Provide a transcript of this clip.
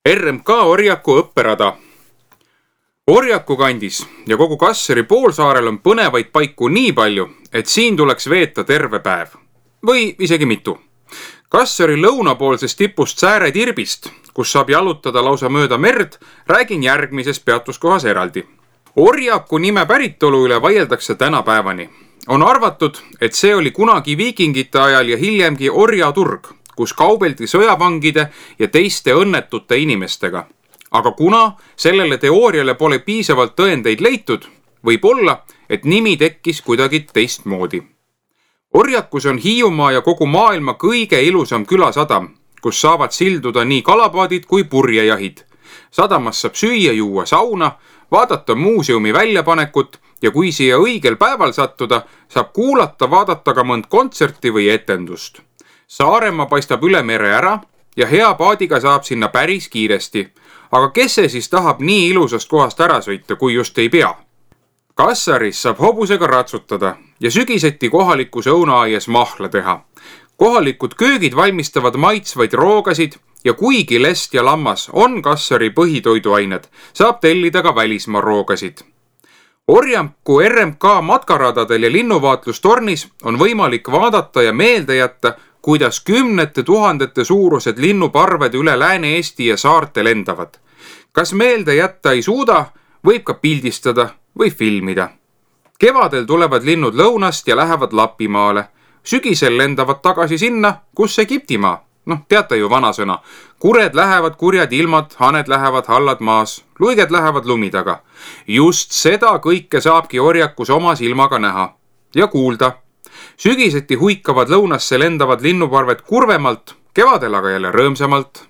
RMK Orjaku õpperada. Orjaku kandis ja kogu Kasseri poolsaarel on põnevaid paiku nii palju, et siin tuleks veeta terve päev. Või isegi mitu. Kasseri lõunapoolsest tipust Sääre tirbist, kus saab jalutada lausa mööda merd, räägin järgmises peatuskohas eraldi. Orjaku nime päritolu üle vaieldakse tänapäevani. On arvatud, et see oli kunagi viikingite ajal ja hiljemgi orjaturg, kus kaubeldi sõjavangide ja teiste õnnetute inimestega. Aga kuna sellele teooriale pole piisavalt tõendeid leitud, võib olla, et nimi tekkis kuidagi teistmoodi. Orjakus on Hiiumaa ja kogu maailma kõige ilusam külasadam, kus saavad silduda nii kalapaadid kui purjejahid. Sadamas saab süüa, juua sauna, vaadata muuseumi väljapanekut ja kui siia õigel päeval sattuda, saab kuulata, vaadata ka mõnd kontserti või etendust. Saaremaa paistab üle mere ära ja hea paadiga saab sinna päris kiiresti. Aga kes see siis tahab nii ilusast kohast ära sõita, kui just ei pea? Kassaris saab hobusega ratsutada ja sügiseti kohalikus õunaaias mahla teha. Kohalikud köögid valmistavad maitsvaid roogasid ja kuigi lest ja lammas on Kassari põhitoiduained, saab tellida ka välismaa roogasid. Orjaku RMK matkaradadel ja linnuvaatlustornis on võimalik vaadata ja meelde jätta, kuidas kümnete tuhandete suurused linnuparved üle Lääne-Eesti ja saarte lendavad. Kas meelde jätta ei suuda, võib ka pildistada või filmida. Kevadel tulevad linnud lõunast ja lähevad Lapimaale. Sügisel lendavad tagasi sinna, kus Egiptimaa. Teate ju vanasõna. Kured lähevad kurjad ilmad, haned lähevad hallad maas, luiged lähevad lumi taga. Just seda kõike saabki Orjakus oma silmaga näha ja kuulda. Sügiseti huikavad lõunasse lendavad linnuparved kurvemalt, kevadel aga jälle rõõmsamalt.